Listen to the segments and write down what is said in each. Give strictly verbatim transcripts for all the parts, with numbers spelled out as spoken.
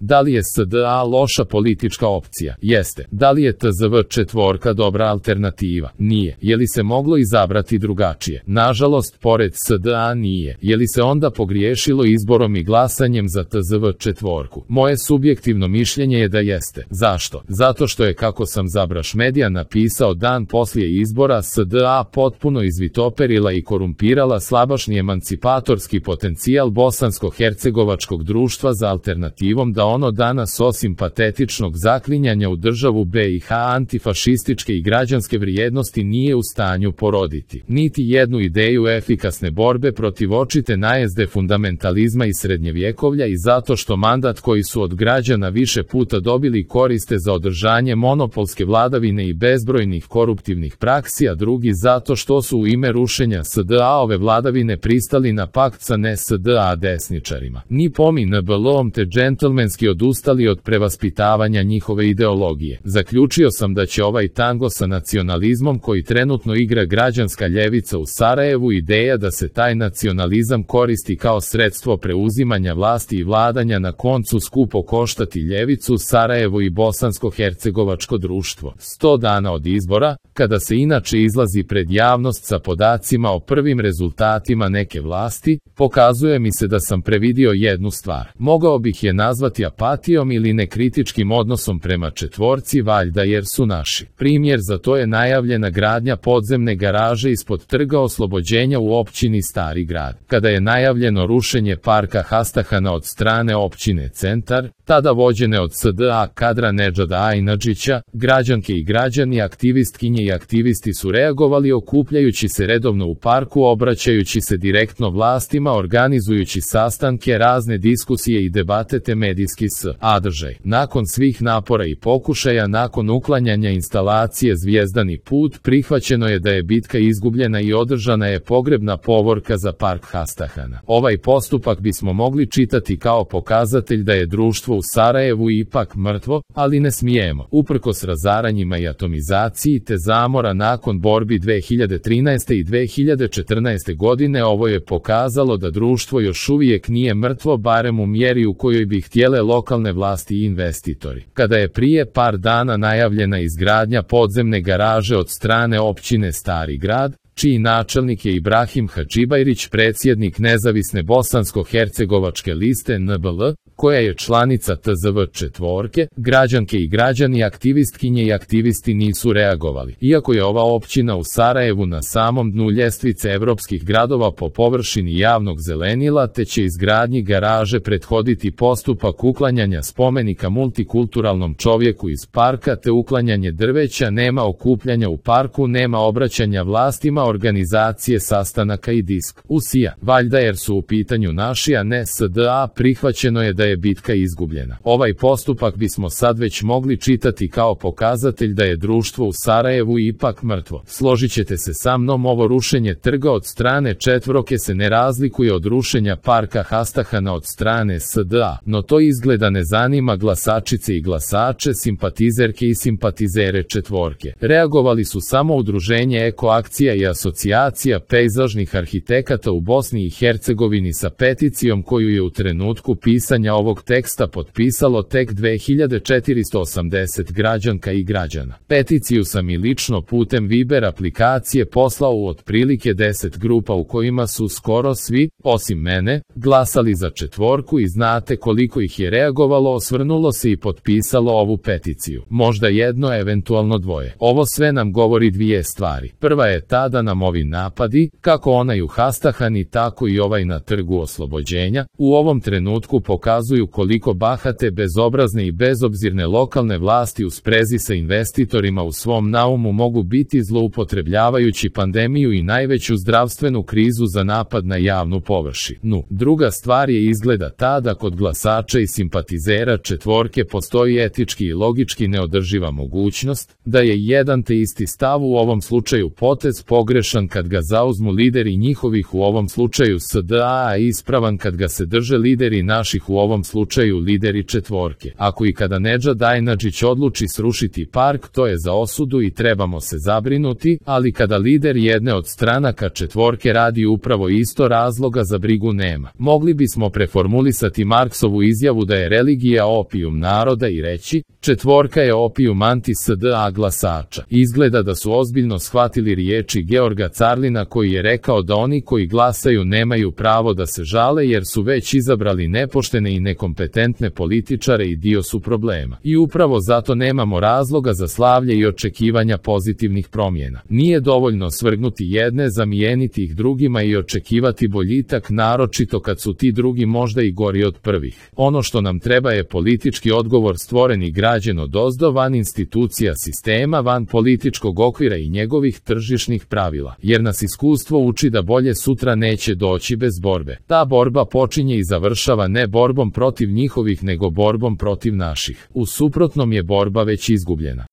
Da li je S D A loša politička opcija? Jeste. Da li je T Z V četvorka dobra alternativa? Nije. Je li se moglo izabrati drugačije? Nažalost, pored S D A nije. Je li se onda pogriješilo izborom i glasanjem za T Z V četvorku? Moje subjektivno mišljenje je da jeste. Zašto? Zato što je, kako sam za Braš Medija napisao dan poslije izbora, S D A potpuno izvitoperila i korumpirala slabašni emancipatorski potencijal bosansko-hercegovačkog društva za alternativom da ono danas osim patetičnog zaklinjanja u državu B i H antifašističke i građanske vrijednosti nije u stanju poroditi. Niti jednu ideju efikasne borbe protiv očite najezde fundamentalizma i srednjevjekovlja i zato što mandat koji su od građana više puta dobili koriste za održanje monopolske vladavine i bezbrojnih koruptivnih praksi, a drugi zato što su u ime rušenja S D A-ove vladavine pristali na pakt sa ne S D A desničarima. Ni pomi N B L-om te džentlmenski odustali od prevaspitavanja njihove ideologije. Zaključio sam da će ovaj tango sa nacionalizmom koji trenutno igra građanska ljevica u Sarajevu ideja da se taj nacionalizam koristi kao sredstvo preuzimanja vlasti i vladanja na koncu skupo koštati ljevicu, Sarajevo i bosansko-hercegovačko društvo. Sto dana od izbora, kada se inače izlazi pred javnost sa podacima o prvim rezultatima neke vlasti, pokazuje mi se da sam previdio jednu stvar. Mogao bih je nazvati apatijom ili nekritičkim odnosom prema četvorci, valjda jer su naši. Primjer za to je najavljena gradnja podzemne garaže ispod Trga oslobođenja u općini Stari Grad. Kada je najavljeno rušenje parka Hastahana od strane općine Centar, tada vođene od S D A kadra Nedžada Ajnadžića, građanke i građani, aktivistkinje i aktivisti su reagovali okupljajući se redovno u parku, obraćajući se direktno vlastima, organizujući sastanke, razne diskusije i debate te medijski sadržaj. Nakon svih napora i pokušaja, nakon uklanjanja instalacije Zvijezdani put, prihvaćeno je da je bitka izgubljena i održana je pogrebna povorka za park Hastahana. Ovaj postupak bismo mogli čitati kao pokazatelj da je društvo u Sarajevu ipak mrtvo, ali ne smijemo. Uprkos razaranjima i atomizaciji te zamora nakon borbi dve hiljade trinaeste i dve hiljade četrnaeste godine, ovo je pokazalo da društvo još uvijek nije mrtvo, barem u mjeri u kojoj bi htjele lokalne vlasti i investitori. Kada je prije par dana najavljena izgradnja podzemne garaže od strane općine Stari Grad, čiji načelnik je Ibrahim Hadžibajrić, predsjednik nezavisne bosansko-hercegovačke liste N B L, koja je članica T Z V četvorke, građanke i građani, aktivistkinje i aktivisti nisu reagovali. Iako je ova općina u Sarajevu na samom dnu ljestvice evropskih gradova po površini javnog zelenila, te će izgradnji garaže prethoditi postupak uklanjanja spomenika multikulturalnom čovjeku iz parka te uklanjanje drveća, nema okupljanja u parku, nema obraćanja vlastima, organizacije sastanaka i diskusija. Valjda jer su u pitanju naši, a ne S D A, prihvaćeno je da je bitka izgubljena. Ovaj postupak bismo sad već mogli čitati kao pokazatelj da je društvo u Sarajevu ipak mrtvo. Složit ćete se sa mnom, ovo rušenje trga od strane četvorke se ne razlikuje od rušenja parka Hastahana od strane S D A, no to izgleda ne zanima glasačice i glasače, simpatizerke i simpatizere četvorke. Reagovali su samo udruženje Eko akcija i asocijacija pejzažnih arhitekata u Bosni i Hercegovini sa peticijom koju je u trenutku pisanja ovog teksta potpisalo tek dve hiljade četiristo osamdeset građanka i građana. Peticiju sam i lično putem Viber aplikacije poslao u otprilike deset grupa u kojima su skoro svi, osim mene, glasali za četvorku i znate koliko ih je reagovalo, osvrnulo se i potpisalo ovu peticiju. Možda jedno, eventualno dvoje. Ovo sve nam govori dvije stvari. Prva je ta da nam ovi napadi, kako onaj u Hastahani tako i ovaj na Trgu oslobođenja, u ovom trenutku pokazuju koliko bahate, bezobrazne i bezobzirne lokalne vlasti u sprezi sa investitorima u svom naumu mogu biti, zloupotrebljavajući pandemiju i najveću zdravstvenu krizu za napad na javnu površinu. Druga stvar je izgleda ta da kod glasača i simpatizera četvorke postoji etički i logički neodrživa mogućnost da je jedan te isti stav, u ovom slučaju potez pogrešan pogrešan kad ga zauzmu lideri njihovih u ovom slučaju S D A, a ispravan kad ga se drže lideri naših u ovom slučaju lideri četvorke. Ako i kada Nedžad Ajnadžić odluči srušiti park, to je za osudu i trebamo se zabrinuti, ali kada lider jedne od stranaka četvorke radi upravo isto, razloga za brigu nema. Mogli bismo preformulisati Marksovu izjavu da je religija opijum naroda i reći, četvorka je opijum anti-S D A glasača. Izgleda da su ozbiljno shvatili riječi Georga Carlina koji je rekao da oni koji glasaju nemaju pravo da se žale jer su već izabrali nepoštene i nekompetentne političare i dio su problema. I upravo zato nemamo razloga za slavlje i očekivanja pozitivnih promjena. Nije dovoljno svrgnuti jedne, zamijeniti ih drugima i očekivati boljitak, naročito kad su ti drugi možda i gori od prvih. Ono što nam treba je politički odgovor stvoren i građen odozdo, van institucija sistema, van političkog okvira i njegovih tržišnih pravila, jer nas iskustvo uči da bolje sutra neće doći bez borbe. Ta borba počinje i završava ne borbom protiv njihovih nego borbom protiv naših. U suprotnom je borba već izgubljena.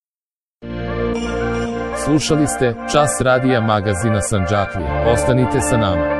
Slušali ste Čas radija magazina Sandžaklije. Ostanite sa nama.